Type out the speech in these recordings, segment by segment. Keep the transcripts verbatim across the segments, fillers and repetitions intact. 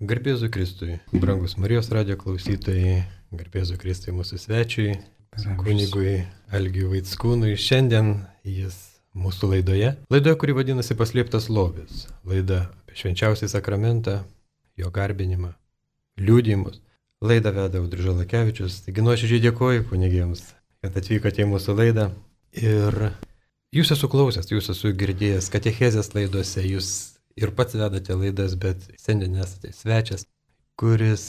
Garbėzu Kristui, brangus Marijos radijo klausytojai, garbėzu Kristui mūsų svečiui, kunigui Algiui Vaickūnui. Šiandien jis mūsų laidoje. Laidoje, kuri vadinasi Paslėptas lobis. Laida apie švenčiausią sakramentą, jo garbinimą, liudijimus. Laidą veda Audrius Žalakevičius. Taigi nuoširdžiai dėkoju kunigėms, kad atvykote į mūsų laidą. Ir jūs esu klausęs, jūs esu girdėjęs katechezės laidose, jūs ir pats vedate laidas, bet šiandien esate svečias, kuris,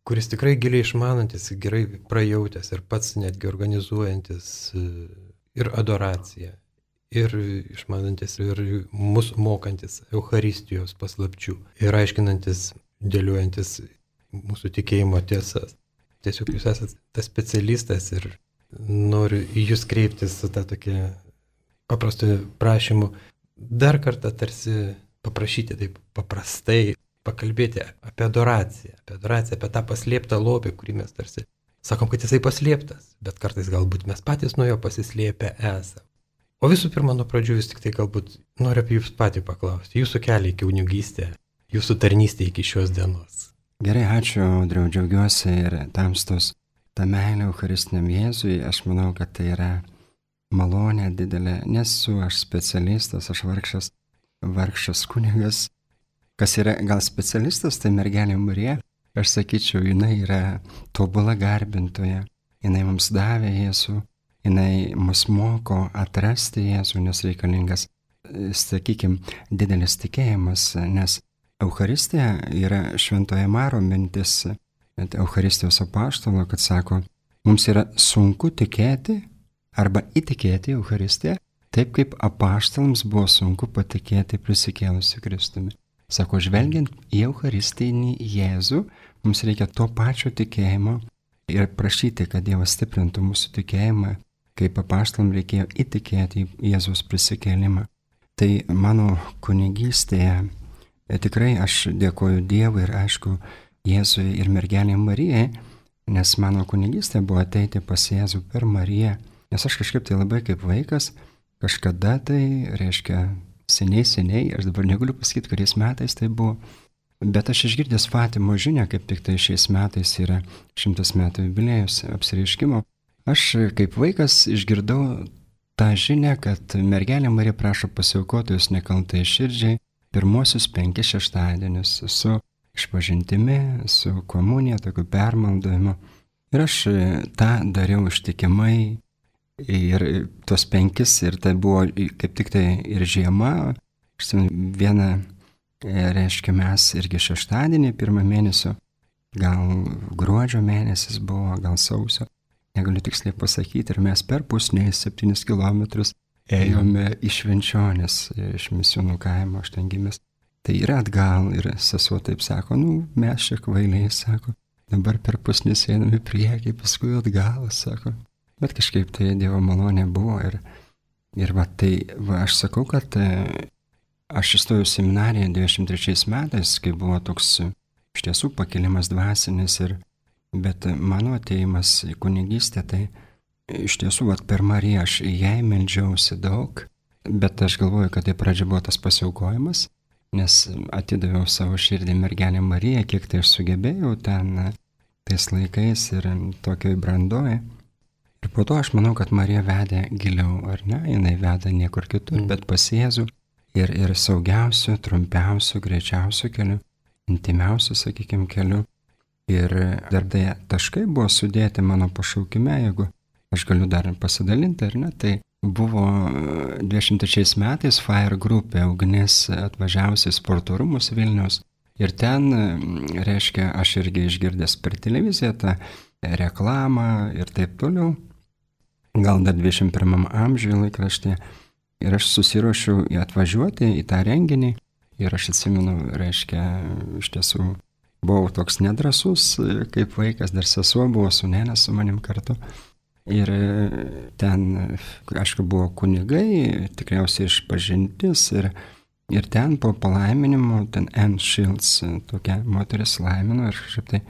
kuris tikrai giliai išmanantis, gerai prajautęs ir pats netgi organizuojantis ir adoraciją, ir išmanantis, ir mus mokantis Eucharistijos paslapčių, ir aiškinantis, dėliuojantis mūsų tikėjimo tiesas. Tiesiog jūs esate tas specialistas ir noriu į jūs kreiptis su tą tokia paprastu prašymu dar kartą tarsi paprašyti taip paprastai, pakalbėti apie adoraciją, apie adoraciją, apie tą paslėptą lobį, kurį mes tarsi sakom, kad jisai paslėptas, bet kartais galbūt mes patys nuo jo pasislėpę esame. O visų pirma, nuo pradžių vis tik tai galbūt noriu apie jūs patį paklausti, jūsų kelią į kunigystę, jūsų tarnystę iki šios dienos. Gerai, ačiū, Audriau, džiaugiuosi ir tamstos tą meilę Eucharistiniam Jėzui. Aš manau, kad tai yra malonė didelė. Nesu aš specialistas, aš vargšas, vargšas kunigas. Kas yra gal specialistas, tai mergelė Marija. Aš sakyčiau, jinai yra tobula garbintoja. Jinai mums davė Jėzų, jinai mus moko atrasti Jėzų, nes reikalingas, sakykime, didelis tikėjimas, nes Eucharistija yra šventoje Maro mintis, Eucharistijos apaštalo, kad sako, mums yra sunku tikėti arba įtikėti Eucharistiją, taip kaip apaštalams buvo sunku patikėti prisikėlusiu Kristumi. Sako, žvelgiant į Eucharistinį Jėzų, mums reikia to pačio tikėjimo ir prašyti, kad Dievas stiprintų mūsų tikėjimą, kaip apaštalams reikėjo įtikėti į Jėzaus prisikėlimą. Tai mano kunigystėje tikrai aš dėkoju Dievui ir aišku Jėzui ir mergelei Marijai, nes mano kunigystė buvo ateiti pas Jėzų per Mariją, nes aš kažkaip tai labai kaip vaikas, kažkada tai, reiškia, seniai, seniai, aš dabar negaliu pasakyti, kuriais metais tai buvo, bet aš išgirdęs Fatimo žinią, kaip tik tai šiais metais yra šimtas metų jubiliejus apsireiškimo, aš kaip vaikas išgirdau tą žinią, kad mergelė Marija prašo pasiaukoti jūs nekaltai širdžiai pirmosius penkis šeštadienius su išpažintimi, su komunija, tokiu permaldavimu. Ir aš tą dariau ištikimai. Ir tos penkis, ir tai buvo kaip tik tai ir žiema, vieną, reiškia, mes irgi šeštadienį, pirmą mėnesio, gal gruodžio mėnesis buvo, gal sausio, negaliu tiksliai pasakyti, ir mes per pusnį septynis kilometrus ėjome iš Švenčionės, iš Misiūnų kaimo, aš ten gimęs. Tai ir atgal, ir sesuo taip sako, nu, mes čia kvailiai, sako, dabar per pusnį einame į priekį, paskui atgal, sako. Bet kažkaip tai Dievo malonė buvo ir, ir va, tai va, aš sakau, kad aš įstojau seminariją dvidešimt trečiais metais, kai buvo toks iš tiesų pakilimas dvasinis, ir, bet mano atėjimas į kunigystę, tai iš tiesų va, per Mariją aš jai meldžiausi daug, bet aš galvoju, kad tai pradžia buvo tas pasiaukojimas, nes atidaviau savo širdį mergelę Mariją, kiek tai aš sugebėjau ten tais laikais ir tokioj brandoje. Ir po to aš manau, kad Marija vedė giliau, ar ne, jinai veda niekur kitur, mm. bet pas Jėzų ir, ir saugiausiu, trumpiausiu, greičiausiu keliu, intimiausiu, sakykime, keliu. Ir dar tai taškai buvo sudėti mano pašaukime, jeigu aš galiu dar pasidalinti, ar ne, tai buvo dvidešimt trečiais metais Fire grupė ugnis atvažiavusi į sporto rūmus Vilniaus. Ir ten, reiškia, aš irgi išgirdęs per televiziją tą reklamą ir taip toliau. Gal dar dvidešimt pirmam amžiuje laikraštė. Ir aš susiruošiau atvažiuoti į tą renginį. Ir aš atsimenu, reiškia, iš tiesų buvau toks nedrasus, kaip vaikas, dar sesuo buvo sūnelė su manim kartu. Ir ten, aišku, buvo kunigai, tikriausiai išpažintis. Ir, ir ten po palaiminimo, ten Anne Shields, tokia moteris laimino. Ir kažkaip tai,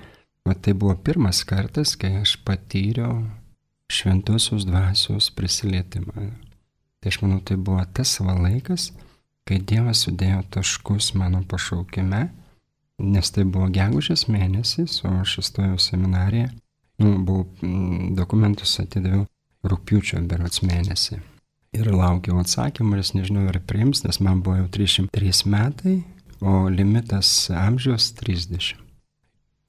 va, tai buvo pirmas kartas, kai aš patyriau šventosios dvasios prisilietimą. Tai aš manau, tai buvo tas savo laikas, kai Dievas sudėjo taškus mano pašaukime, nes tai buvo gegužės mėnesis, o aš įstojau seminariją, nu, buvau dokumentus atidaviau rugpjūčio berods mėnesį. Ir laukiau atsakymą, nes nežinau, ar priims, nes man buvo jau trisdešimt trys metai, o limitas amžiaus trisdešimt.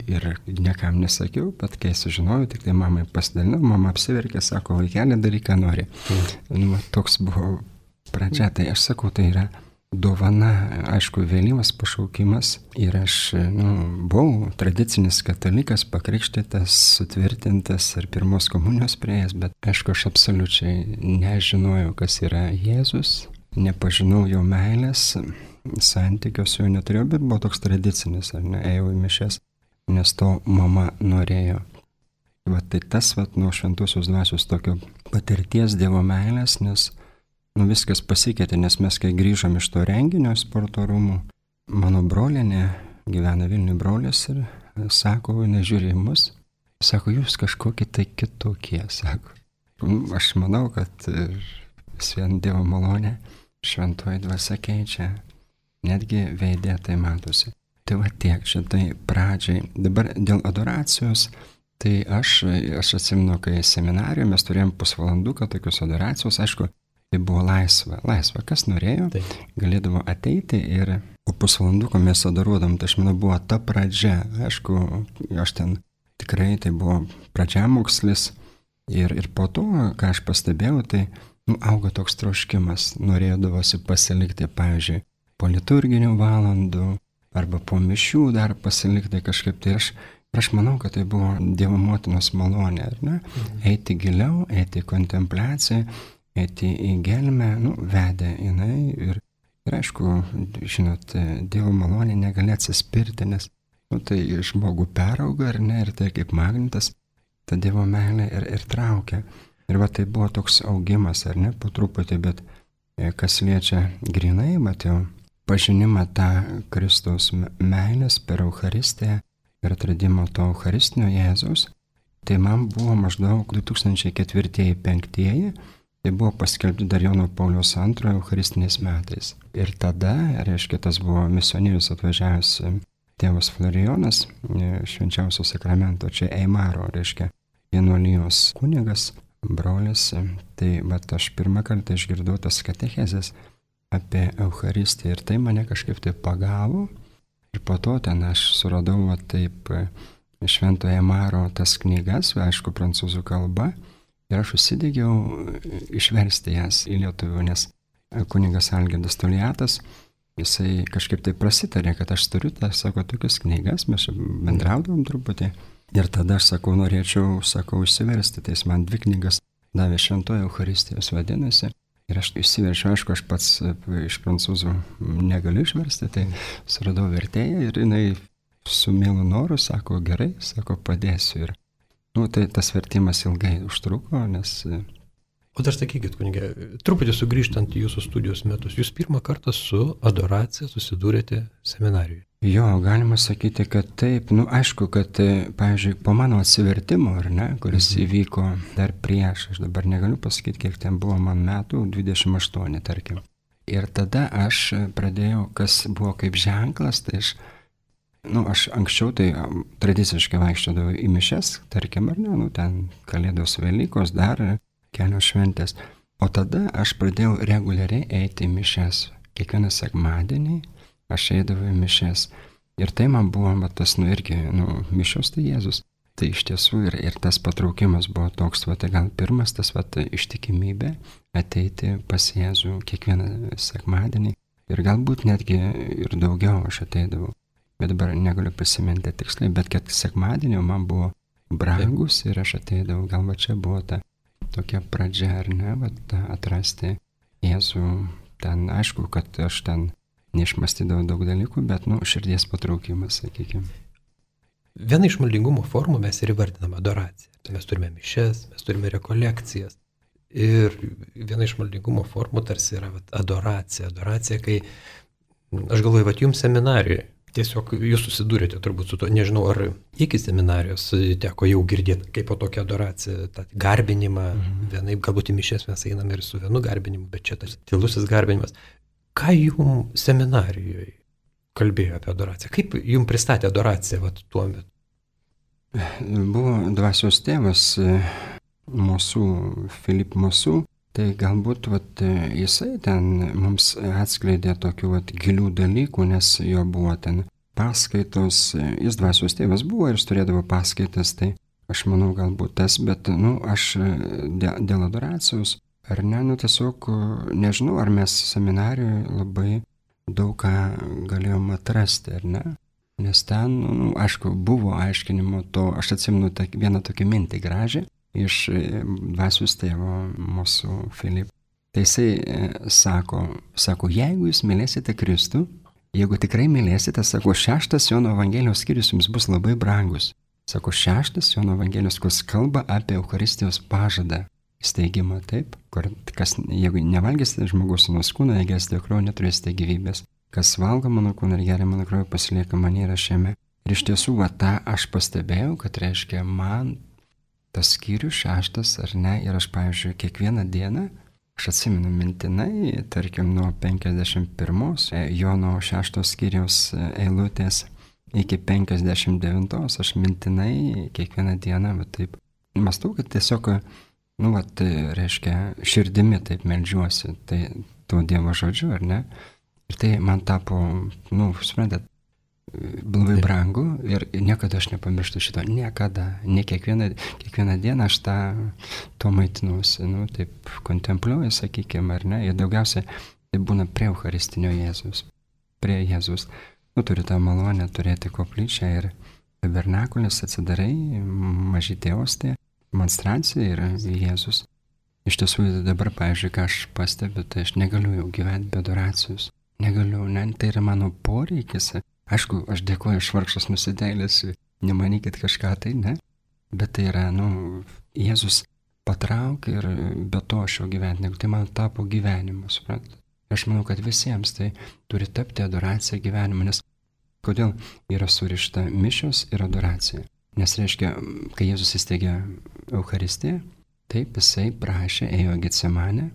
Ir niekam nesakiau, bet kai sužinojau, tik tai mamai pasidalinau, mama apsiverkė, sako, vaikelė, daryk, ką nori. Mm. Nu, toks buvo pradžia, tai aš sakau, tai yra dovana, aišku, vėlyvas pašaukimas. Ir aš, nu, buvau tradicinis katalikas, pakrikštytas, sutvirtintas ir pirmos komunijos prieėjęs, bet aišku, aš absoliučiai nežinojau, kas yra Jėzus, nepažinau jo meilės, santykio su juo neturėjau, bet buvo toks tradicinis, ar ne, ėjau į mišias, nes to mama norėjo. Va tai tas, va, nuo šventosios dvasios tokio patirties Dievo meilės, nes nu, viskas pasikeitė, nes mes kai grįžom iš to renginio sporto rūmų, mano brolinė, gyvena Vilniuje brolis ir sako, nežiūrė į mus, sako, jūs kažkokie tai kitokie, sako. Aš manau, kad vis vien Dievo malonė, šventoji dvasia keičia, netgi veidė tai matosi. Tai va tiek šitai pradžiai. Dabar dėl adoracijos, tai aš, aš atsimenu, kai seminarijoje mes turėjom pusvalanduką tokios adoracijos, aišku, tai buvo laisva. Laisva, kas norėjo, tai galėdavo ateiti ir po pusvalanduko mes adoruodam. Tai aš manau, buvo ta pradžia. Aišku, aš ten tikrai tai buvo pradžiamokslis ir, ir po to, ką aš pastebėjau, tai nu, augo toks troškimas. Norėdavosi pasilikti, pavyzdžiui, po liturginių valandų arba po mišių dar pasilikti kažkaip. Tai aš, aš manau, kad tai buvo Dievo motinos malonė, ar ne? Mhm. Eiti giliau, eiti į kontempliaciją, eiti į gelmę, nu, vedė jinai ir, ir aišku, žinot, Dievo malonė negali atsispirti, nes nu, tai žmogų perauga, ar ne, ir tai kaip magnetas, ta Dievo meilė ir, ir traukia. Ir va tai buvo toks augimas, ar ne, po truputį, bet kas liečia grinai, bet jau pažinimą tą Kristaus meilės per Eucharistiją ir atradimą to Eucharistinio Jėzaus, tai man buvo maždaug du tūkstančiai ketvirtieji penktieji, tai buvo paskelbti dar Jono Pauliaus antrojo Eucharistiniais metais. Ir tada, reiškia, tas buvo misionierius atvažiavęs tėvas Florijonas, švenčiausio sakramento, čia Eimaro, reiškia, vienuolijos kunigas, brolis, tai bet aš pirmą kartą išgirdau tas katechezes apie Eucharistiją ir tai mane kažkaip tai pagavo ir po to ten aš suradau va, taip Švento Eimaro tas knygas, aišku, prancūzų kalba ir aš užsidegiau išversti jas į lietuvių, nes kunigas Algirdas Toliatas, jisai kažkaip tai prasitarė, kad aš turiu, tai sako, tokias knygas, mes bendraudavom truputį ir tada aš sakau, norėčiau, sakau, išsiversti, tai jis man dvi knygas davė Šventoji Eucharistijos vadinasi. Ir aš išsiverčiau, aišku, aš pats iš prancūzų negaliu išversti, tai suradau vertėją ir jinai su mielu noru sako, gerai, sako, padėsiu. Ir, nu, tai tas vertimas ilgai užtruko, nes... O dar sakykit, kunigė, truputį sugrįžtant į jūsų studijos metus, jūs pirmą kartą su adoracija susidūrėte seminarijoje. Jo, galima sakyti, kad taip, nu aišku, kad, pavyzdžiui, po mano atsivertimo, ar ne, kuris mhm. įvyko dar prieš, aš dabar negaliu pasakyti, kiek ten buvo man metų, dvidešimt aštuoni, tarkim. Ir tada aš pradėjau, kas buvo kaip ženklas, tai aš, nu aš anksčiau tai tradiciškai vaikščiodavau į mišias, tarkim, ar ne, nu ten Kalėdos Velykos, dar kelios šventės. O tada aš pradėjau reguliariai eiti į mišias, kiekvieną sekmadienį. Aš eidavau į mišias. Ir tai man buvo, bet tas, nu, irgi, nu, mišios tai Jėzus. Tai iš tiesų ir, ir tas patraukimas buvo toks, va, tai gal pirmas tas, va, ištikimybė ateiti pas Jėzų kiekvieną sekmadienį. Ir galbūt netgi ir daugiau aš ateidavau. Bet dabar negaliu prisiminti tiksliai, bet kad sekmadienio man buvo brangus ir aš ateidavau. Gal va čia buvo ta tokia pradžia, ar ne, va, ta, atrasti Jėzų. Ten aišku, kad aš ten neišmastydavau daug dalykų, bet, nu, širdies patraukimas, sakykime. Viena iš maldingumo formų mes ir įvardiname adoraciją. Tai mes turime mišias, mes turime rekolekcijas. Ir viena iš maldingumo formų tarsi yra vat, adoracija. Adoracija, kai, aš galvoju, vat jums seminarijoje, tiesiog jūs susidūrėte turbūt su to, nežinau, ar iki seminarijos teko jau girdėti, kaip po tokią adoraciją, tą garbinimą, mhm. vienaip, galbūt į mišias mes einame ir su vienu garbinimu, bet čia tas tylusis garbinimas. Ką jums seminarijoje, kalbėjo apie adoraciją? Kaip jums pristatė adoraciją vat, tuo metu? Buvo dvasios tėvas mūsų, Filip mūsų, tai galbūt vat, jisai ten mums atskleidė tokių vat, gilių dalykų, nes jo buvo ten paskaitos, jis dvasios tėvas buvo ir jis turėdavo paskaitas, tai aš manau galbūt tas, bet nu, aš dėl, dėl adoracijos, ar ne, nu tiesiog nežinau, ar mes seminarijoje labai daug ką galėjom atrasti, ar ne? Nes ten, nu, aišku, buvo aiškinimo to, aš atsimenu ta, vieną tokią mintį gražią iš dvasios tėvo mūsų Filip. Tai jisai sako, sako, jeigu jūs mylėsite Kristų, jeigu tikrai mylėsite, sako, šeštas Jono Evangelijos skyrius jums bus labai brangus. Sako, šeštas Jono Evangelijos, kuris kalba apie Eucharistijos pažadą, steigimą, taip, kur kas, jeigu nevalgysite žmogaus sūnaus kūną, negersite jo kraujo, neturėsite gyvybės. Kas valgo mano kūną ir geria mano kraują, pasilieka manyje ir aš jame. Ir iš tiesų, va, tą aš pastebėjau, kad reiškia man tas skyrius šeštas ar ne, ir aš, pavyzdžiui, kiekvieną dieną, aš atsimenu mintinai, tarkim, nuo penkiasdešimt pirmos Jono šeštos skyriaus eilutės iki penkiasdešimt devintos, aš mintinai kiekvieną dieną, va taip, mąstau, kad tiesiog, nu, va, tai reiškia, širdimi taip meldžiuosi, tai to Dievo žodžiu, ar ne? Ir tai man tapo, nu, suprantat, labai brangu ir niekada aš nepamirštu šito, niekada, ne kiekvieną, kiekvieną dieną aš tą, to maitinuosi, nu, taip kontempliuoju, sakykime, ar ne, ir daugiausiai tai būna prie Eucharistinio Jėzus, prie Jėzus. Nu, turi tą malonę turėti koplyčią ir tabernakulis, atsidarai, mažytė ostė, monstrancija ir Jėzus. Iš tiesų dabar, pavyzdžiui, ką aš pastebiu, tai aš negaliu jau gyventi be adoracijos. Negaliu, ne, tai yra mano poreikis. Aišku, aš dėkoju, aš vargšas nusidėlis, nemanykit kažką tai, ne? Bet tai yra, nu, Jėzus patraukė ir be to aš jau gyventi, negu tai man tapo gyvenimu, suprantate? Aš manau, kad visiems tai turi tapti adoracija gyvenimu, nes kodėl yra surišta mišios ir adoracija? Nes reiškia, kai Jėzus įsteigė Eucharistiją, taip jisai prašė, ėjo Getsemanę,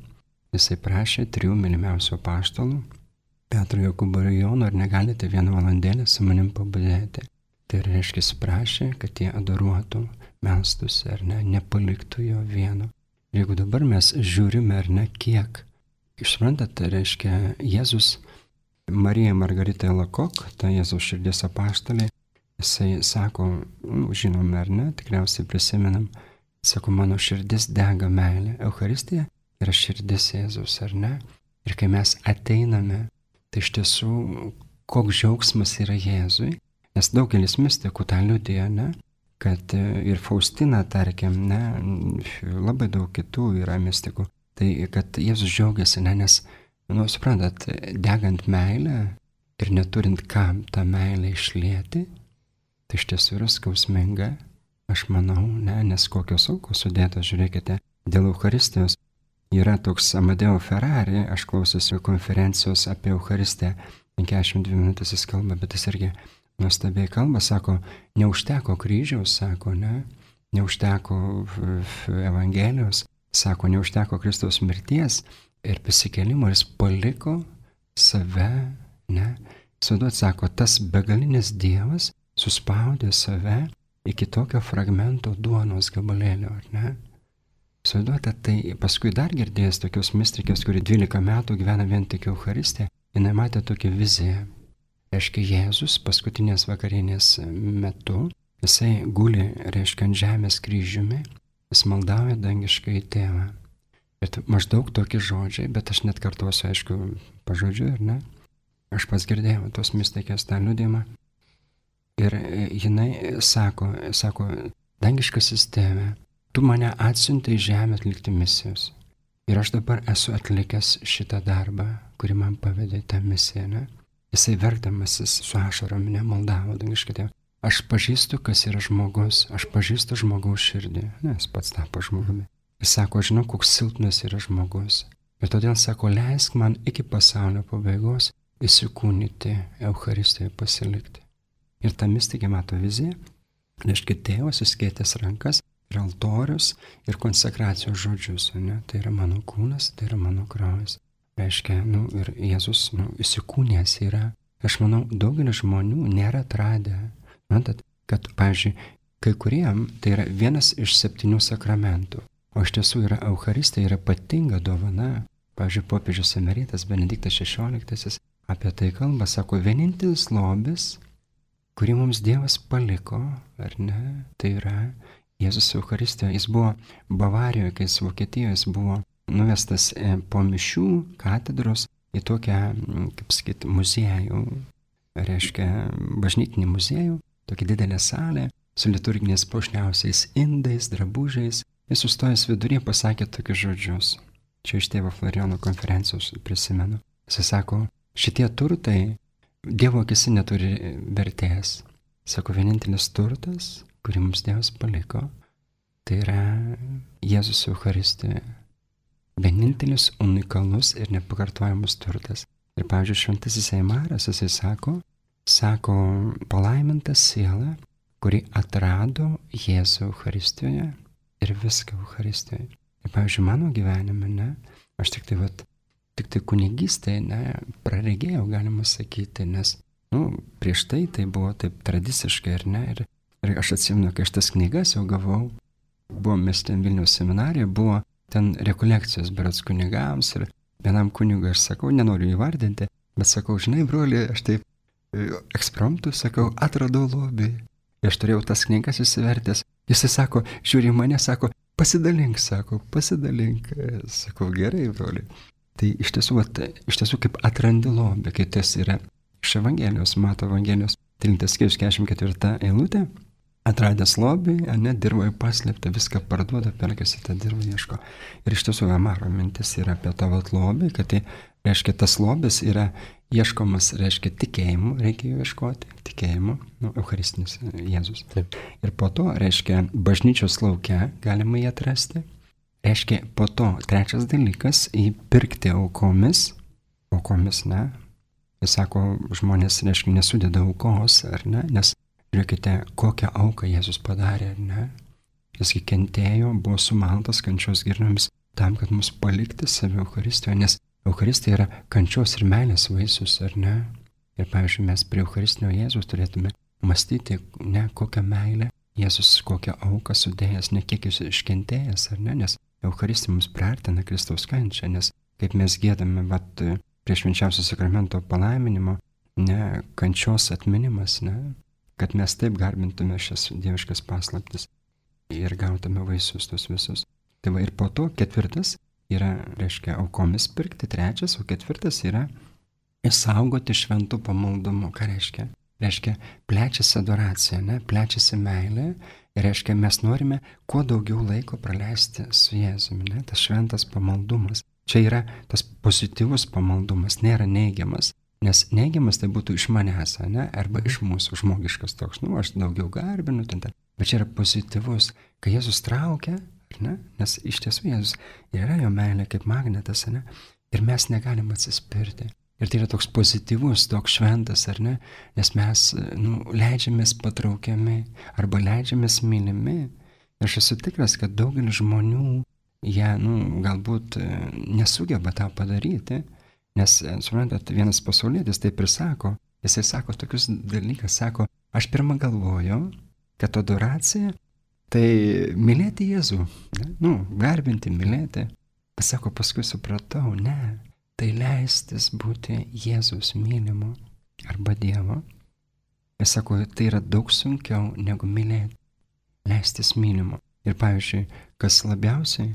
jisai prašė trijų mylimiausių apaštalų, Petro, Jokūbo ir Jono, ar negalite vieną valandėlę su manim pabudėti. Tai reiškia, jis prašė, kad jie adoruotų, melstųsi, ar ne, nepaliktų jo vieno. Ir jeigu dabar mes žiūrime, ar ne, kiek, išsprantate, tai reiškia, Jėzus, Marija Margarita Lakok, ta Jėzaus širdies apaštalė, jisai sako, nu, žinome, ar ne, tikriausiai prisimenam, sako, mano širdis dega meilė. Eucharistija yra širdis Jėzaus, ar ne? Ir kai mes ateiname, tai iš tiesų, koks džiaugsmas yra Jėzui, nes daugelis mistikų tą liudija, ne, kad ir Faustina, tarkim, ne, labai daug kitų yra mistikų, tai kad Jėzus džiaugiasi, ne, nes, nu, suprantat, degant meilę ir neturint kam tą meilę išlieti, tai iš tiesų yra skausminga, aš manau, ne, nes kokios aukos sudėtos, žiūrėkite, dėl Eucharistijos. Yra toks Amadeo Ferrari, aš klausiausi konferencijos apie Eucharistiją, penkiasdešimt dvi minutės jis kalba, bet jis irgi nuostabiai kalba, sako, neužteko kryžiaus, sako, ne, neužteko Evangelijos, sako, neužteko Kristaus mirties ir prisikėlimo, jis paliko save, ne, suduot, sako, tas begalinis Dievas suspaudė save iki tokio fragmento duonos gabalėlio, ar ne? Suduota, tai paskui dar girdėjęs tokios mistikės, kuri dvylika metų gyvena vien tik Eucharistiją, jinai matė tokią viziją. Reiškia, Jėzus paskutinės vakarienės metu, jisai guli, reiškia, ant žemės kryžiumi, jis maldauja dangiškai tėvą. Ir maždaug tokie žodžiai, bet aš net kartuosiu, aišku, pažodžiu, ar ne? Aš pats girdėjau tos mistikės tą liudimą. Ir jinai sako, sako, dangiškasis tėve, tu mane atsiuntei į žemę atlikti misijos. Ir aš dabar esu atlikęs šitą darbą, kurį man pavedė tą misiją, ne? Jisai verkdamasis su ašarom nemaldavo dangiškai tėvą. Aš pažįstu, kas yra žmogus, aš pažįstu žmogaus širdį, nes pats tapo žmogumi. Jis sako, žinau, koks silpnas yra žmogus. Ir todėl sako, leisk man iki pasaulio pabaigos įsikūnyti, Eucharistijoje pasilikti. Ir ta mistikė mato viziją, reiškia, tėvas suskėtęs rankas ir altorius ir konsekracijos žodžius, ne? Tai yra mano kūnas, tai yra mano kraujas. Reiškia, nu, ir Jėzus, nu, įsikūnęs yra Aš manau, daugelis žmonių nėra atradę, matot, kad, pavyzdžiui, kai kuriem tai yra vienas iš septynių sakramentų, o iš tiesų yra Eucharistija, yra ypatinga dovana. Pavyzdžiui, popiežius emeritas Benediktas šešioliktasis apie tai kalba, sako, vienintelis lobis, kurį mums Dievas paliko, ar ne, tai yra Jėzus Eucharistijoje. Jis buvo Bavarijoje, kai jis Vokietijoje, jis buvo nuvestas po mišių katedros į tokią, kaip sakyti, muziejų, reiškia bažnytinį muziejų, tokia didelė salė su liturginiais puošniausiais indais, drabužiais. Jis sustojęs viduryje pasakė tokius žodžius. Čia iš tėvo Florijono konferencijos prisimenu. Jis sako, šitie turtai Dievo akise neturi vertės. Sako, vienintelis turtas, kurį mums Dievas paliko, tai yra Jėzus Eucharistijoje. Vienintelis unikalus ir nepakartojamas turtas. Ir, pavyzdžiui, šventasis Eimaras, jisai sako, sako, palaiminta siela, kuri atrado Jėzų Eucharistijoje ir viską Eucharistijoje. Ir, pavyzdžiui, mano gyvenime, ne, aš tik tai, vat, tik tai kunigystėje, ne, praregėjau, galima sakyti, nes, nu, prieš tai tai buvo taip tradiciškai, ir ne, ir, ir aš atsimenu, kai aš tas knygas jau gavau, buvo mes ten Vilniaus seminarijoje, buvo ten rekolekcijos berods kunigams ir vienam kunigui aš sakau, nenoriu įvardinti, bet sakau, žinai, broli, aš taip ekspromptu, sakau, atradau lobį. Ir aš turėjau tas knygas įsivertęs. Jisai sako, žiūri mane, sako, pasidalink, sako, pasidalink. Sakau, gerai, broli. Tai iš tiesų, vat, iš tiesų kaip atrandi lobį, kai tas yra iš Evangelijos, Mato Evangelijos, tryliktas skyrius keturiasdešimt ketvirta eilutė. Atradęs lobį, ne, dirvoje paslėpta, viską parduoda, perkasi tą dirvą ieško. Ir iš tiesų, Amaro mintis yra apie tavo lobį, kad tai, reiškia, tas lobis yra ieškomas, reiškia, tikėjimu, reikia jo ieškoti, tikėjimu, nu, Eucharistinis Jėzus. Taip. Ir po to, reiškia, bažnyčios lauke galima jį atrasti. Reiškia, po to, trečias dalykas, įpirkti aukomis, aukomis, ne. Jis sako, žmonės, reiškia, nesudeda aukos, ar ne, nes žiūrėkite, kokią auką Jėzus padarė, ar ne? Jis kentėjo, buvo sumaltas kančios girnomis tam, kad mus palikti save Eucharistijoje, nes Eucharistija yra kančios ir meilės vaisius, ar ne? Ir, pavyzdžiui, mes prie Eucharistinio Jėzus turėtume mąstyti, ne, kokią meilę Jėzus, kokią auką sudėjęs, ne kiek jis iškentėjęs, ar ne? Nes Eucharistija mums priartina Kristaus kančią, nes kaip mes giedame, vat, prie švenčiausio sakramento palaiminimo, ne, kančios atminimas, ne? Kad mes taip garbintume šias dieviškas paslaptis ir gautume vaisius tos visus. Tai va ir po to ketvirtas yra, reiškia, aukomis pirkti, trečias, o ketvirtas yra išsaugoti šventų pamaldumų. Ką reiškia? Reiškia, plečiasi adoracija, ne? Plečiasi meilė ir reiškia, mes norime kuo daugiau laiko praleisti su Jėzumi, ne? Tas šventas pamaldumas. Čia yra tas pozityvus pamaldumas, nėra neigiamas. Nes neigiamas tai būtų iš manęs, ne? Arba iš mūsų, žmogiškas toks, nu, aš daugiau garbinu, ten, ten. Bet čia yra pozityvus, kai Jėzus traukia, ne? Nes iš tiesų Jėzus yra jo meilė kaip magnetas, ne? Ir mes negalim atsispirti. Ir tai yra toks pozityvus, toks šventas, ar ne? Nes mes, nu, leidžiamės patraukiami arba leidžiamės mylimi. Ir aš esu tikras, kad daugelis žmonių, jie, nu, galbūt nesugeba tą padaryti. Nes, suprantat, vienas pasaulietis taip ir sako, jisai sako tokius dalykas, sako, aš pirmą galvoju, kad adoracija tai mylėti Jėzų, ne? Nu, garbinti, mylėti. Bet sako, paskui supratau, ne, tai leistis būti Jėzus mylimu arba Dievo. Ir sako, tai yra daug sunkiau negu mylėti, leistis mylimu. Ir pavyzdžiui, kas labiausiai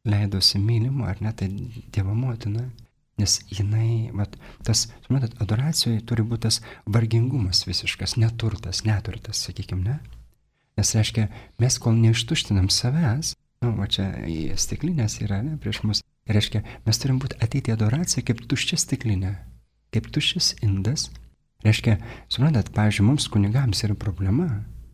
leidosi mylimu, ar ne, tai Dievo motina. Nes jinai, vat, tas, suprantat, adoracijoje turi būti tas vargingumas visiškas, neturtas, neturtas, sakykime, ne? Nes reiškia, mes kol neištuštinam savęs, nu, va čia į stiklinės yra, ne, prieš mus, reiškia, mes turim būti ateiti į adoraciją kaip tuščia stiklinė, kaip tuščias indas. Reiškia, suprantat, pavyzdžiui, mums kunigams yra problema.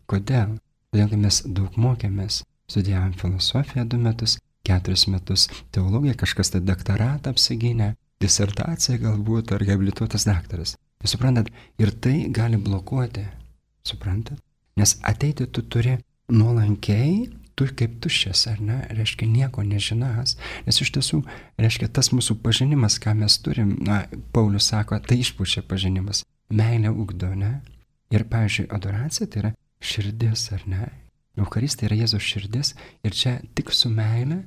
Kodėl? Todėl, kad mes daug mokėmės, studijavom filosofiją du metus, keturis metus teologiją, kažkas tai daktaratą apsigynė, disertacija galbūt ar habilituotas daktaras. Jūs suprantat, ir tai gali blokuoti, suprantat? Nes ateiti tu turi nuolankiai, tu kaip tuščias, ar ne, reiškia nieko nežinas. Nes iš tiesų, reiškia tas mūsų pažinimas, ką mes turim, na, Paulius sako, tai išpučia pažinimas. meilę ugdo, ne? Ir, pavyzdžiui, adoracija tai yra širdis, ar ne? Eucharistija yra Jėzaus širdis ir čia tik su meilė,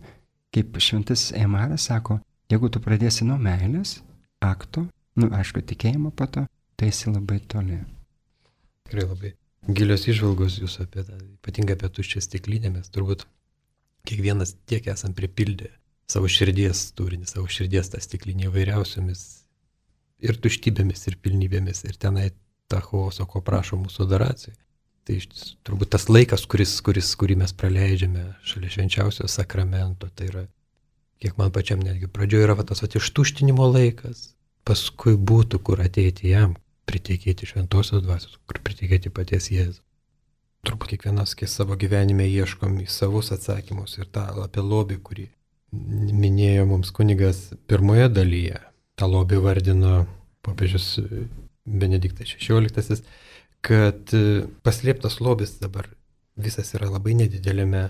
kaip šventasis Eimaras sako, jeigu tu pradėsi nuo meilės, akto, nu, aišku, tikėjimo po to, tai esi labai toli. Tikrai labai gilios įžvalgos jūs apie tą, ypatingai apie tuščią stiklinę, mes turbūt kiekvienas tiek esam pripildę savo širdies turinį, savo širdies tą stiklinį įvairiausiomis ir tuštybėmis, ir pilnybėmis, ir tenai tą chaoso, ko prašo mūsų adoracija. Tai turbūt tas laikas, kuris, kuris, kurį mes praleidžiame šalia švenčiausio sakramento, tai yra, kiek man pačiam netgi pradžioje yra va, tas va, ištuštinimo laikas, paskui būtų kur ateiti jam, priteikėti šventosios dvasios, kur priteikėti paties Jėzų. Turbūt kiekvienas savo gyvenime ieškom į savus atsakymus ir tą apie lobį, kurį minėjo mums kunigas pirmoje dalyje. tą lobį vardino popiežius Benediktas šešioliktasis, kad paslėptas lobis dabar visas yra labai nedidelėme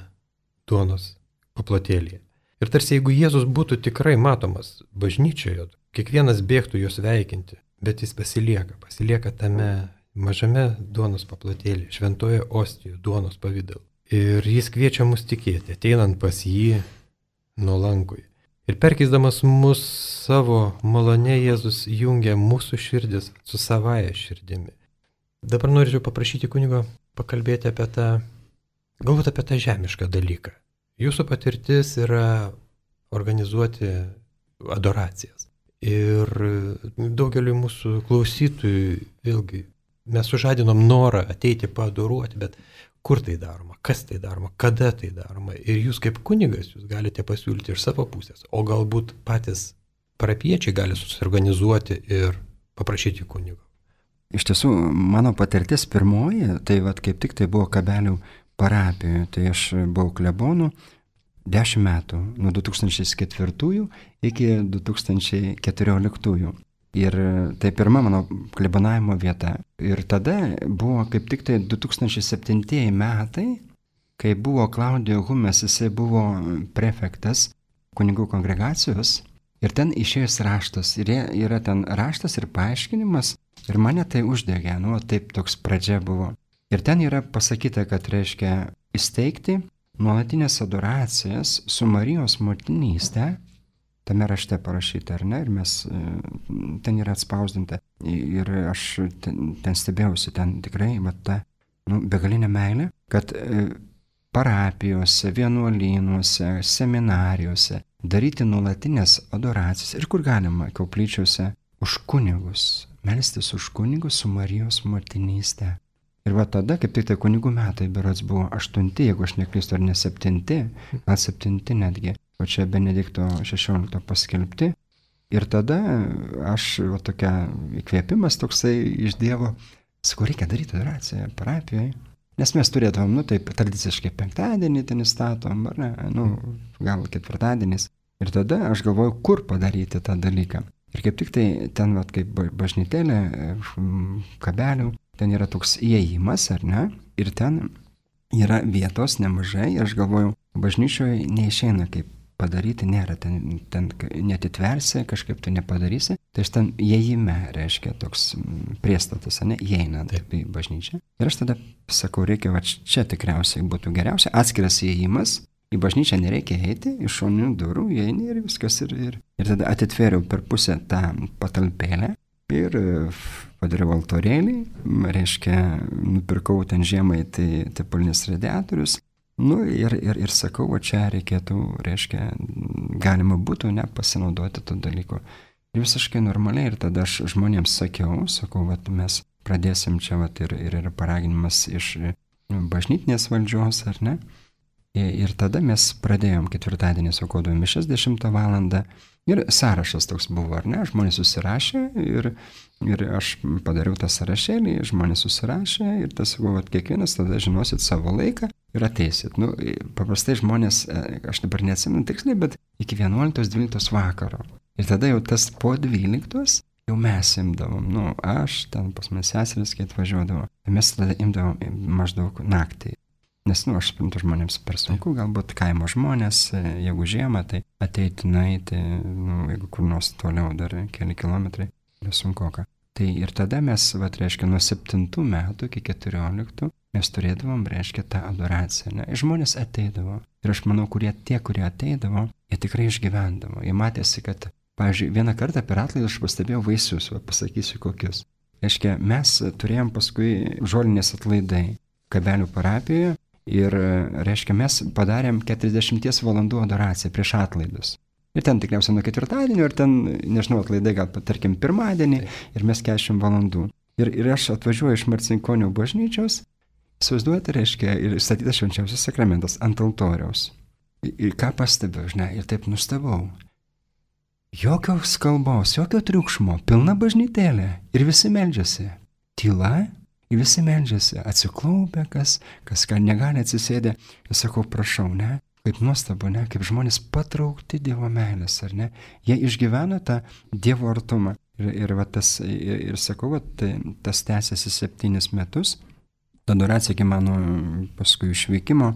duonos paplotėlyje. Ir tarsi jeigu Jėzus būtų tikrai matomas bažnyčioje, kiekvienas bėgtų jos veikinti, bet jis pasilieka, pasilieka tame mažame duonos paplotėlyje, šventoje ostijoje duonos pavidalu. Ir jis kviečia mus tikėti, ateinant pas jį nuolankui. Ir perkeisdamas mus savo malone, Jėzus jungia mūsų širdis su savaja širdimi. Dabar norėčiau paprašyti kunigo pakalbėti apie tą, galbūt apie tą žemišką dalyką. Jūsų patirtis yra organizuoti adoracijas. Ir daugeliu mūsų klausytojų, vėlgi, mes sužadinom norą ateiti paadoruoti, bet kur tai daroma, kas tai daroma, kada tai daroma. Ir jūs kaip kunigas, jūs galite pasiūlyti iš savo pusės, o galbūt patys parapiečiai gali susiorganizuoti ir paprašyti kunigo. Iš tiesų, mano patirtis pirmoji, tai vat, kaip tik tai buvo Kabelių parapijoje, tai aš buvau klebonu dešimt metų, nuo du tūkstančiai ketvirtųjų iki du tūkstančiai keturioliktųjų. Ir tai pirma mano klebonavimo vieta. Ir tada buvo kaip tik tai du tūkstančiai septintieji metai, kai buvo Klaudijo Humes, jisai buvo prefektas kunigų kongregacijos. Ir ten išėjęs raštas. Ir yra ten raštas ir paaiškinimas. Ir mane tai uždegė, nu, taip toks pradžia buvo. Ir ten yra pasakyta, kad reiškia įsteigti nuolatinės adoracijas su Marijos motinystė. Tame rašte parašyta, ar ne, ir mes, ten yra atspausdinta. Ir aš ten, ten stebėjausi, ten tikrai, va, ta, nu, begalinė meilė, kad parapijose, vienuolynuose, seminarijose daryti nuolatinės adoracijas ir kur galima, koplyčiose, už kunigus, melstis už kunigus su Marijos motinystė. Ir va tada, kaip tik tai kunigų metai, berods buvo aštunti, jeigu aš neklystu, ar ne septinti, gal septinti netgi. O čia Benedikto šešiolikto paskelbti. Ir tada aš, va, tokia įkvėpimas toksai iš Dievo, sakau, reikia daryti adoraciją parapijoje. Nes mes turėdavom, nu taip, tradiciškai penktadienį ten įstatom, ar ne, nu, gal ketvirtadienis. Ir tada aš galvoju, kur padaryti tą dalyką. Ir kaip tik tai ten, va, kaip bažnytėlė, Kabelių, ten yra toks įėjimas, ar ne, ir ten yra vietos nemažai. Ir aš galvoju, bažnyčioje neišeina kaip padaryti, nėra, ten, ten netitversi, kažkaip tu nepadarysi. Tai aš ten įėjime, reiškia, toks priestatas, ne, įeinant į bažnyčią. Ir aš tada sakau, reikia, va, čia tikriausiai būtų geriausia, atskiras įėjimas, į bažnyčią nereikia eiti, iš šoninių durų įeini ir viskas. Ir, ir, ir tada atitvėriau per pusę tą patalpėlę ir padariau altorėlį, reiškia, nupirkau ten žiemai tai tepolinis radiatorius. Nu ir, ir, ir sakau, va čia reikėtų, reiškia, galima būtų ne pasinaudoti to dalyko. Ir visiškai normaliai, ir tada aš žmonėms sakiau, sakau, va mes pradėsim čia, va ir, ir yra paraginimas iš bažnytinės valdžios, ar ne? Ir, ir tada mes pradėjom ketvirtadienį aukodami mišias dešimtą valandą. Ir sąrašas toks buvo, ar ne? Žmonės susirašė ir, ir aš padariau tą sąrašėlį, žmonės susirašė ir tas buvo, kad kiekvienas tada žinosit savo laiką ir ateisit. Nu, paprastai žmonės, aš dabar neatsimenu tiksliai, bet iki vienuoliktos dvyliktos vakaro. Ir tada jau tas po dvyliktos jau mes imdavom, nu, aš ten pas mes seseris, kai atvažiuodavo, mes tada imdavom maždaug naktį. Nes, nu, aš suprantu, žmonėms per sunku, galbūt kaimo žmonės, jeigu žiemą, tai ateiti, nueiti, nu, jeigu kur nors toliau dar keli kilometrai, nesunkoka. Tai ir tada mes, va, reiškia, nuo septintų metų iki keturioliktų mes turėdavom, reiškia, tą adoraciją. Ne? Žmonės ateidavo. Ir aš manau, kurie, tie, kurie ateidavo, jie tikrai išgyvendavo. Jie matėsi, kad, pavyzdžiui, vieną kartą per atlaidus aš pastebėjau vaisius, va, pasakysiu kokius. Reiškia, mes turėjom paskui žolinės atlaidai Kabelių parapijoje ir, reiškia, mes padarėm keturiasdešimties valandų adoraciją prieš atlaidus. Ir ten tikriausiai nuo ketvirtadienio, ir ten, nežinau, atlaidai gal, tarkim, pirmadienį, ir mes keturiasdešimt valandų. Ir, ir aš atvažiuoju iš Marcinkonių bažnyčios, įsivaizduojate, reiškia, ir statytas švenčiausias sakramentas ant altoriaus. Ir, ir ką pastebiu, žinai, ir taip nustebau. Jokios kalbos, jokio triukšmo, pilna bažnytėlė, ir visi meldžiasi. Tyla, ir visi meldžiasi, atsiklaupę, kas, kas ką negali atsisėdę. Ir sakau, prašau, ne? Kaip nuostabu, ne, kaip žmonės patraukti Dievo meilės, ar ne? Jie išgyvena tą Dievo artumą. Ir, ir, va, tas, ir, ir sakau, va, tai, tas tęsiasi septynis metus. Adoracija iki mano paskui išvykimo.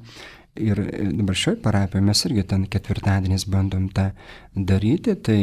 Ir dabar šioje parapijoje mes irgi ten ketvirtadieniais bandom tą daryti. Tai,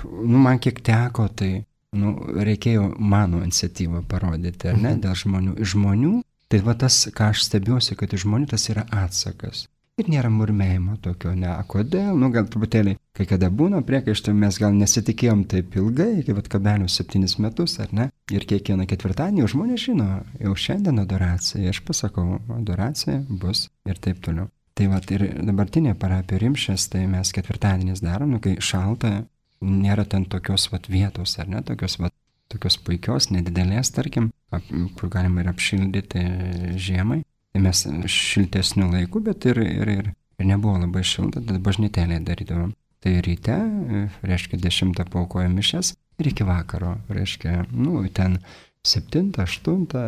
nu, man kiek teko, tai, nu, reikėjo mano iniciatyvą parodyti, ar ne, dėl žmonių. Iš žmonių, tai va tas, ką aš stebiuosi, kad iš žmonių tas yra atsakas. Ir nėra murmėjimo tokio, ne, kodėl, nu gal truputėlį, kai kada būna priekaištų, mes gal nesitikėjom taip ilgai, kaip Kabelių septynis metus, ar ne? Ir kiekvieną ketvirtadienį žmonės žino, jau šiandien adoracija, aš pasakau, adoracija bus ir taip toliau. Tai va, ir dabartinė parapija Rimšės, tai mes ketvirtadienis darom, nu, kai šalta, nėra ten tokios vat vietos, ar ne, tokios vat, tokios puikios, nedidelės, tarkim, kur galima ir apšildyti žiemai. Tai mes šiltesnių laikų, bet ir, ir, ir, ir nebuvo labai šilta, tad bažnytėlė darydavom. Tai ryte, reiškia, dešimtą paukoja mišes ir iki vakaro, reiškia, nu, ten septintą, aštuntą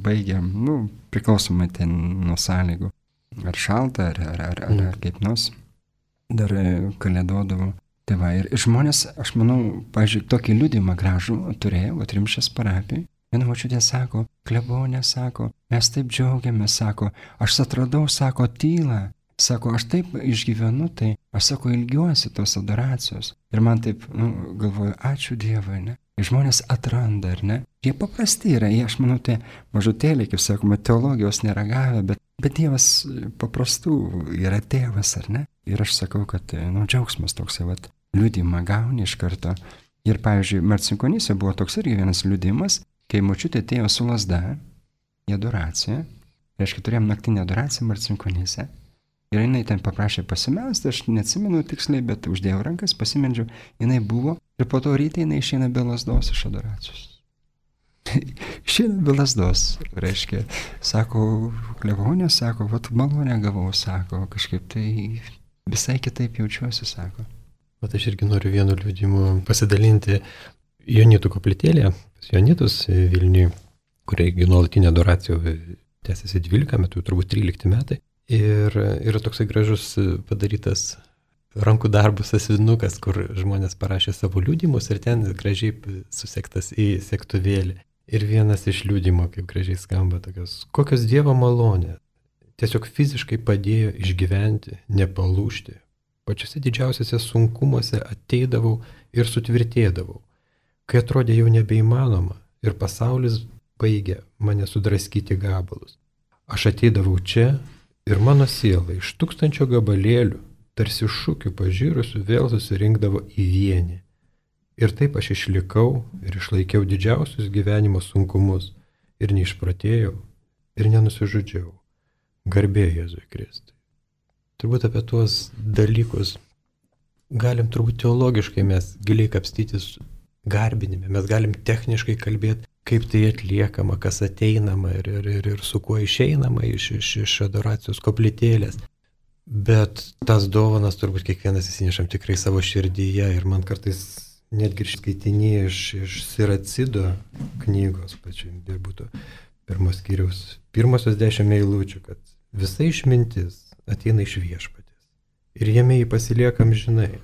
baigiam, nu, priklausomai ten nuo sąlygų. Ar šalta, ar, ar, ar, ar, ar kaip nors. Dar kalėdodavo. Tai va, ir žmonės, aš manau, pavyzdžiui, tokį liudijimą gražų turėjo, va, Rimšės parapijai. Viena močiutė sako, klebonė sako, mes taip džiaugiamės, sako, aš atradau, sako, tylą, sako, aš taip išgyvenu, tai aš, sako, ilgiuosi tos adoracijos. Ir man taip, nu, galvoju, ačiū Dievui, ne? Ir žmonės atranda, ar ne? Jie paprasti yra, jie, aš manau, tai mažutėliai, kaip sakoma, teologijos nėra gavę, bet, bet Dievas paprastų yra tėvas, ar ne? Ir aš sakau, kad, nu, džiaugsmas toks, vat, liudimą gauni iš karto. Ir, pavyzdžiui, Marcinkonyse buvo toks irgi vienas liudimas, kai močiutė atėjo su lazda į adoraciją, reiškia, turėjom naktinę adoraciją Marcinkonyse, ir jinai ten paprašė pasimelsti, aš neatsimenu tiksliai, bet uždėjau rankas, pasimeldžiau, jinai buvo, ir po to ryte jinai išeina be lazdos iš adoracijos. Išeina be lazdos, reiškia, sako, klebonė, sako, vat malonę gavau, sako, kažkaip tai visai kitaip jaučiuosi, sako. Vat aš irgi noriu vienu liudijimu pasidalinti Jonitų koplytėlėje, Jonitus Vilniuje, kuriai nuolatinė adoracija tęsiasi dvylika metų, turbūt trylikti metai. Ir yra toksai gražus padarytas rankų darbų sąsiuvinukas, kur žmonės parašė savo liudijimus ir ten gražiai susektas į sektuvėlį. Ir vienas iš liudijimų, kaip gražiai skamba, tokios, kokios Dievo malonės, tiesiog fiziškai padėjo išgyventi, nepalūžti. Pačiuose didžiausiuose sunkumuose ateidavau ir sutvirtėdavau. Kai atrodė jau nebeįmanoma ir pasaulis baigė mane sudraskyti gabalus. Aš ateidavau čia ir mano siela iš tūkstančio gabalėlių, tarsi šūkių pažirusių, vėl susirinkdavo į vienį. Ir taip aš išlikau ir išlaikiau didžiausius gyvenimo sunkumus ir neišprotėjau ir nenusižudžiau. Garbė Jėzui Kristui. Turbūt apie tuos dalykus galim turbūt teologiškai mes giliai kapstytis garbinime, mes galim techniškai kalbėti, kaip tai atliekama, kas ateinama ir, ir, ir, ir su kuo išeinama iš, iš, iš adoracijos koplytėlės. Bet tas dovanas turbūt kiekvienas įsinešam tikrai savo širdyje ir man kartais netgi skaitinėje iš, iš Siracido knygos pačiu, ir būtų pirmos skyriaus, pirmosios dešimt eilučių, kad visa išmintis ateina iš Viešpaties ir jame jį pasiliekam žinai,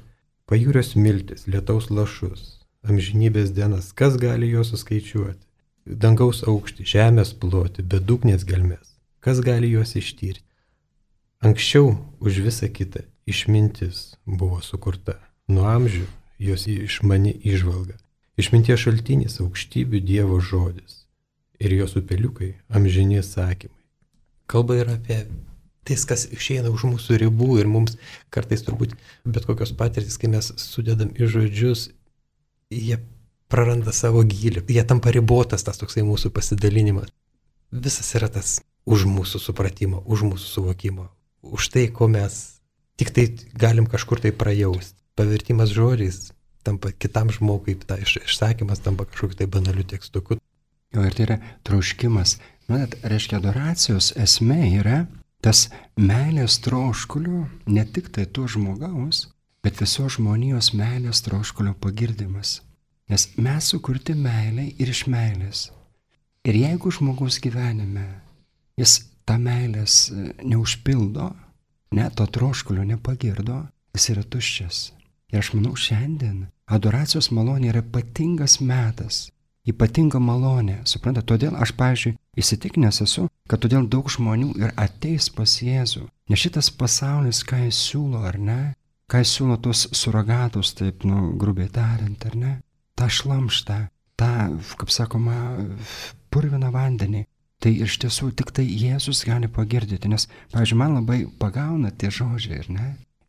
pajūrio smiltis, lietaus lašus, amžinybės dienas, kas gali jo suskaičiuoti, dangaus aukštį, žemės plotį, bedugnės gelmes, kas gali juos ištyrti. Anksčiau už visą kitą išmintis buvo sukurta, nuo amžių jos išmani įžvalga. Išminties šaltinis aukštybių Dievo žodis ir jos upeliukai amžini sakymai. Kalba yra apie tai, kas išeina už mūsų ribų ir mums kartais turbūt bet kokios patirtis, kai mes sudedam į žodžius, jie praranda savo gylį, jie tampa ribotas tas toksai mūsų pasidalinimas. Visas yra tas už mūsų supratimo, už mūsų suvokimo, už tai, ko mes tik tai galim kažkur tai prajausti. Pavertimas žodžiais tampa kitam žmogui, ta iš, išsakymas tampa kažkokiu tai banaliu tekstuku. Jo, ir tai yra troškimas. Manat, reiškia, adoracijos esmė yra tas meilės troškulio, ne tik tai to žmogaus, bet visos žmonijos meilės troškulio pagirdimas. Nes mes sukurti meilę ir iš meilės. Ir jeigu žmogus gyvenime jis tą meilės neužpildo, ne, to troškulio nepagirdo, jis yra tuščias. Ir aš manau, šiandien adoracijos malonė yra ypatingas metas, ypatinga malonė. Suprantate, todėl aš, pavyzdžiui, įsitikinęs esu, kad todėl daug žmonių ir ateis pas Jėzų. Nes šitas pasaulis, ką jis siūlo, ar ne, ką jis siūlo tos suragatus, taip, nu, grubiai tariant, ar ne, tą šlamštą, tą, kaip sakoma, purviną vandenį. Tai iš tiesų tik tai Jėzus gali pagirdyti, nes, pavyzdžiui, man labai pagauna tie žodžiai, ar ne?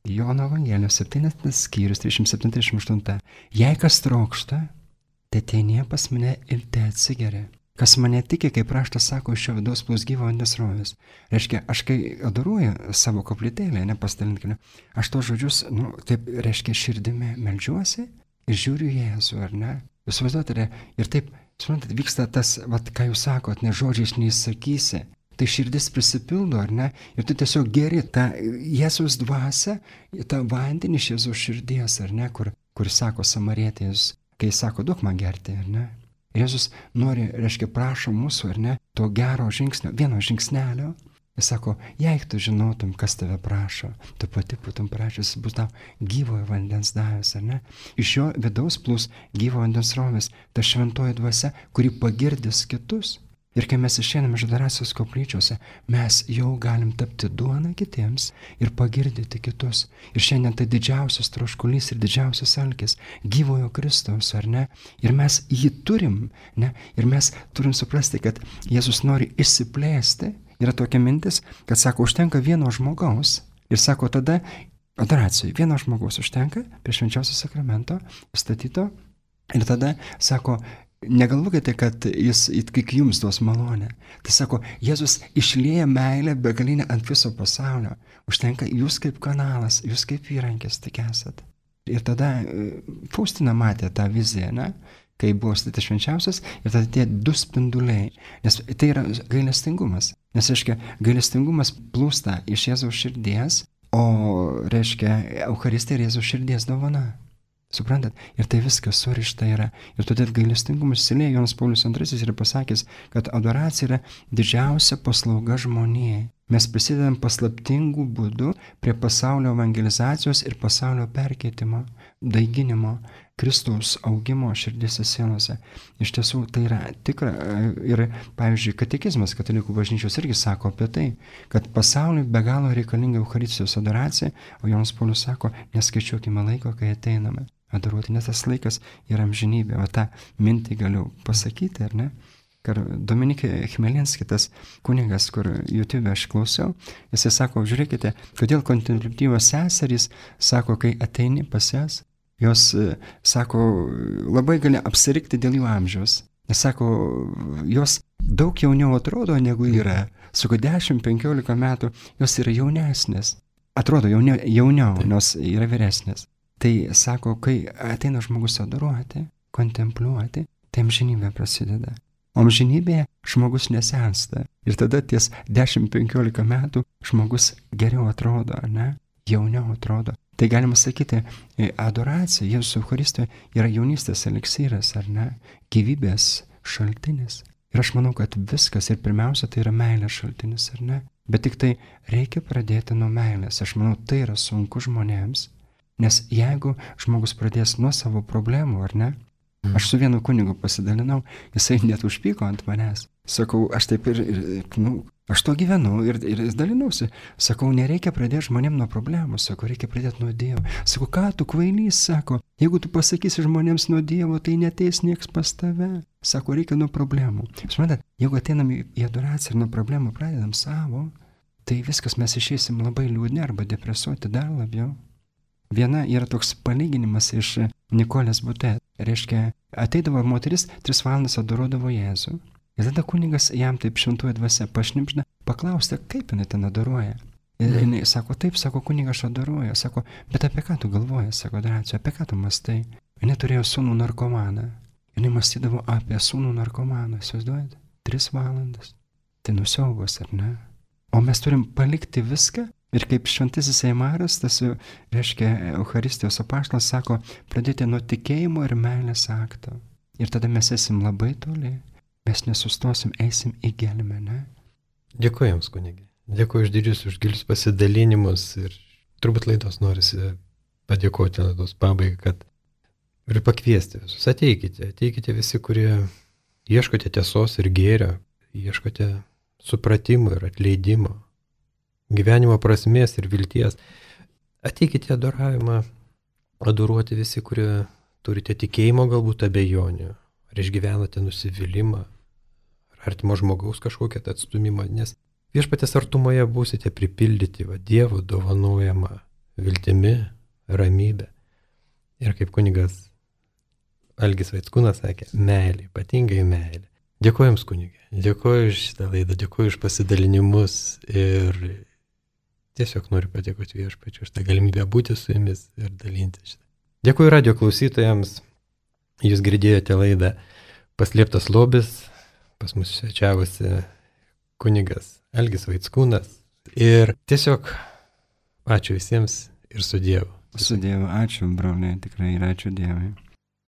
Jono Evangelijos septynioliktas skyrius, trisdešimt septyni trisdešimt aštuoni. Jei kas trokšta, tai ateinie pas mane ir te atsigeria. Kas mane tiki, kaip raštas sako, iš šio vidaus plūs gyvo vandens srovės. Reiškia, aš kai adoruoju savo koplytėlę, nepastalinkime, aš tos žodžius, nu, taip, reiškia, širdimi meldžiuosi ir žiūriu Jėzų, ar ne? Jūs vaizduotate, ir taip, suprantat, vyksta tas, vat, ką jūs sakot, ne žodžiais neįsakysi. Tai širdis prisipildo, ar ne? Ir tu tiesiog geri tą Jėzaus dvasią, tą vandenį iš Jėzaus širdies, ar ne? Kur, kur sako Samarietės, kai sako, duok man gerti, ar ne? Jėzus nori, reiškia, prašo mūsų, ar ne? To gero žingsnio, vieno žingsnelio. Jis sako, jei tu žinotum, kas tave prašo, tu pati būtum prašęs, bus tau gyvojo vandens davęs, ar ne? Iš jo vidaus plūs gyvo vandens srovės, ta šventoji dvasia, kuri pagirdys kitus. Ir kai mes išeiname iš adoracijos koplyčiose, mes jau galim tapti duona kitiems ir pagirdyti kitus. Ir šiandien tai didžiausias troškulys ir didžiausias alkis gyvojo Kristaus, ar ne? Ir mes jį turim, ne? Ir mes turim suprasti, kad Jėzus nori išsiplėsti. Yra tokia mintis, kad sako, užtenka vieno žmogaus. Ir sako, tada adoracijai vieno žmogaus užtenka prie švenčiausio sakramento statyto. Ir tada sako, negalvokite, kad jis tik jums duos malonę. Tai sako, Jėzus išlieja meilę begalinę ant viso pasaulio. Užtenka jūs kaip kanalas, jūs kaip įrankis tik esat. Ir tada Faustina matė tą viziją, ne? Kai buvo statytas švenčiausias, ir tada tie du spinduliai. Nes tai yra gailestingumas. Nes, reiškia, gailestingumas plūsta iš Jėzaus širdies, o, reiškia, Eucharistija yra Jėzaus širdies dovana. Suprantat? Ir tai viskas surišta yra. Ir todėl gailestingumas įsilieja. Jonas Paulius antrasis yra pasakęs, kad adoracija yra didžiausia paslauga žmonijai. Mes prisidedam paslaptingų būdų prie pasaulio evangelizacijos ir pasaulio perkeitimo, daiginimo, Kristaus augimo širdėse sielose. Iš tiesų tai yra tikra. Ir, pavyzdžiui, katekizmas katalikų bažnyčios irgi sako apie tai, kad pasauliui be galo reikalinga Eucharistijos adoracija, o Jonas Paulius sako, neskaičiuokime laiko, kai ateiname adoruoti, nes tas laikas yra amžinybė. O tą mintį galiu pasakyti, ar ne? Kad Dominikė Chmelinski, tas kunigas, kur YouTube aš klausiau, jisai sako, žiūrėkite, kodėl kontempliatyvios seserys sako, kai ateini pas jas, jos, sako, labai gali apsirikti dėl jų amžiaus. Nes, sako, jos daug jauniau atrodo, negu yra. Sako, dešimt penkiolika metų jos yra jaunesnės. Atrodo jauniau, jauniau nors yra vyresnės. Tai, sako, kai ateina žmogus adoruoti, kontempliuoti, tai amžinybė prasideda. O amžinybėje žmogus nesensta. Ir tada ties dešimt penkiolika metų žmogus geriau atrodo, ne? Jauniau atrodo. Tai galima sakyti, adoracija Jėzus Eucharistijoje yra jaunystės eliksyras, ar ne? Gyvybės šaltinis. Ir aš manau, kad viskas ir pirmiausia tai yra meilės šaltinis, ar ne? Bet tik tai reikia pradėti nuo meilės. Aš manau, tai yra sunku žmonėms. Nes jeigu žmogus pradės nuo savo problemų, ar ne? Aš su vienu kunigu pasidalinau, jisai net užpyko ant manęs. Sakau, aš taip ir, ir nu, Aš to gyvenu ir, ir dalinausi. Sakau, nereikia pradėti žmonėm nuo problemų, sakau, reikia pradėti nuo Dievo. Sakau, ką tu kvailys, sako, jeigu tu pasakysi žmonėms nuo Dievo, tai neteis nieks pas tave. Sako, reikia nuo problemų. Suprantat, jeigu ateinam į adoraciją ir nuo problemų pradedam savo, tai viskas mes išeisim labai liūdni arba depresuoti dar labiau. Viena yra toks palyginimas iš Nikolės Bute. Reiškia, ateidavo moteris, tris valandas adoruodavo Jėzų. Ir tada kunigas jam taip šventuoja dvasia pašnipžda, paklausė, kaip jinai ten adoruoja. Ir mm. jinai sako, taip, sako, kunigas adoruoja. Sako, bet apie ką tu galvoji, sako, Adoracija, apie ką tu mastai? Jinai turėjo sūnų narkomaną. Jinai mąstydavo apie sūnų narkomaną, įsivaizduojate? Tris valandas. Tai nusiaugos, ar ne? O mes turim palikti viską. Ir kaip šventasis Eimaras, tas, reiškia, Eucharistijos apaštalas sako, pradėti nuo tikėjimo ir meilės akto. Ir tada mes esim labai toli. Mes nesustosim, eisim į gelmę, ne? Dėkuoju Jums, kunigi. Dėkuoju už didžius, už gilius pasidalinimus ir turbūt laidos norisi padėkoti laidos pabaigai, kad ir pakviesti visus. Ateikite, ateikite visi, kurie ieškote tiesos ir gėrio, ieškote supratimo ir atleidimo, gyvenimo prasmės ir vilties. Ateikite adoravimą, adoruoti visi, kurie turite tikėjimo galbūt abejonių, ar išgyvenate nusivylimą, ar artimo žmogaus kažkokią atstumimą, nes viešpatės artumoje būsite pripildyti va, Dievo dovanojama viltimi, ramybė. Ir kaip kunigas Algis Vaickūnas sakė, meilė, ypatingai meilė. Dėkuoju Jums, kunigė, dėkuoju už šitą laidą, dėkuoju už pasidalinimus ir tiesiog noriu padėkoti viešpačiu už tą galimybę būti su Jumis ir dalinti šitą. Dėkuoju radio klausytojams, Jūs girdėjote laidą Paslėptas lobis, pas mus svečiavosi kunigas Algis Vaickūnas ir tiesiog ačiū visiems ir su Dievu. Su Dievu, ačiū broliai, tikrai ir ačiū Dievui.